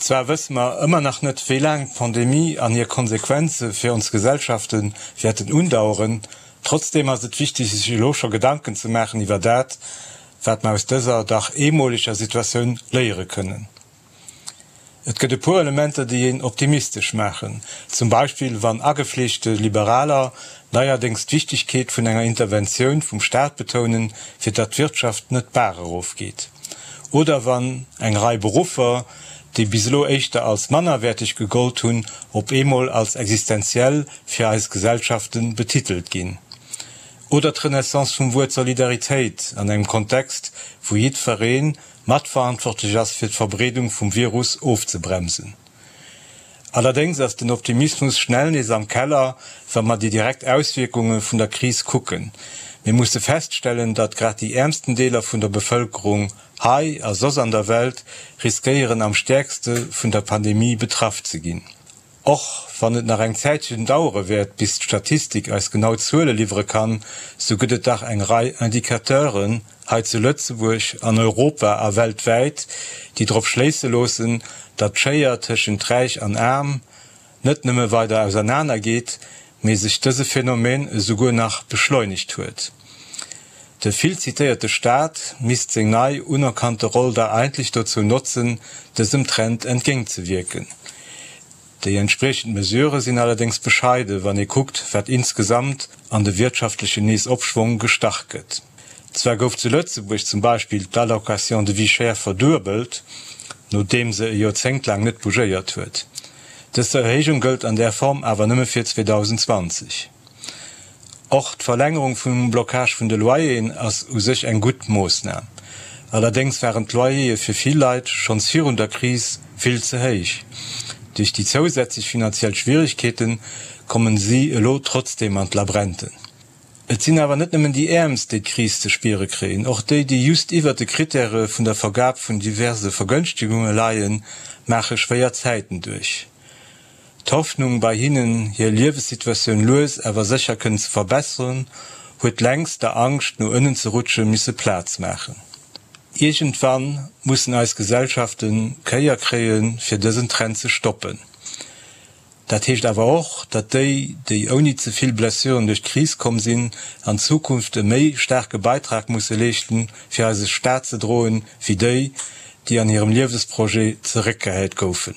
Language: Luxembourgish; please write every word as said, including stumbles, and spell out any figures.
Zwar wësse mer ëmmer nach net, wéi laang d'Pandemie an hir Konsequenze fir ons Gesellschafte wäerten undaueren, trotzdeem ass et wichteg, sech elo scho Gedanken ze maachen iwwer dat, wat mer aus dëser dach eemoleger Situatioun léiere kënnen. Et gëtt e puer Elementer, déi een optimistesch maachen, zum Beispill wann agefleeschte Liberaler neierdéngs d'Wichtegkeet vun enger Interventioun vum Staat betounen, fir datt d'Wirtschaft net d'Baach erofgeet, oder wann eng Rei Beruffer, déi bis elo éischter als mannerwäerteg gegollt hunn, op eemol als existenziell fir eis Gesellschafte betitelt ginn. Oder d'Renaissance vum Wuert Solidaritéit an engem Kontext, wou jiddweree matverantwortlech ass fir d'Verbreedung vum Virus ofzebremsen. Allerdéngs ass den Optimismus schnell nees am Keller, wa mer déi direkt Auswierkunge vun der Kris kucken. Mir musse feststellen, datt grad déi äermsten Deeler vun der Bevëlkerung, hei a soss an der Welt, riskéieren am stäerkste vun der Pandemie betraff ze ginn. Och wann et nach eng Zäitchen dauere wäert, bis d'Statistik eis genau Zuele liwwere kann, sou gëtt et dach eng Rei Indicateuren, hei zu Lëtzebuerg, an Europa a weltwäit, déi drop schléisse loossen, datt d'Schéier tëschent Räich an Aarm net nëmme weider ausernaner geet, mee sech dëse Phänomen esouguer nach beschleunegt huet. De vill zitéierte Staat misst seng nei unerkannte Roll da eigentlech dozou notzen, dësem Trend entgéintzewierken. Déi entspriechend Mesurë sinn allerdéngs bescheide wann ee kuckt, wat insgesamt an de wirtschaftlechen Neesopschwong gestach gëtt. Zwar gouf zu Lëtzebuerg zum Beispill d'Allocation de vie chère verduebelt, nodeem se e Joerzéngt laang net bougéiert huet. Dës Erhéijung gëllt an där Form awer nëmme fir zweedausenzwanzeg Och d'Verlängerung vum Blocage vun de Loyeren ass u sech eng gutt Moossnam. Allerdéngs waren d'Loyere fir vill Leit schonns virun der Kris vill ze héich. Duerch déi zousätzlech finanziell Schwieregkeete kommen si elo trotzdeem an d'Labrente. Et sinn awer net nëmmen déi Äermst, déi d'Kris ze spiere kréien. Och déi, déi just iwwert de Krittäre vun der Vergab vun diverse Vergënschtegunge leien, maache schwéier Zäiten duerch. D'Hoffnung bei hinnen, hir Liewessituatioun lues awer sécher kënnen ze verbesseren, huet längst der Angscht, no ënnen ze rutschen, misse Plaz maachen. Iergendwann mussen eis Gesellschaften d'Kéier kréien, fir dësen Trend ze stoppen. Dat heescht awer och, datt déi, déi ouni ze vill Blessuren duerch d'Kris komm sinn, an Zukunft e méi staarke Beitrag musse leeschten, fir eise Staat ze droen, wéi déi, déi an hirem Liewesprojet zeréckgehäit goufen.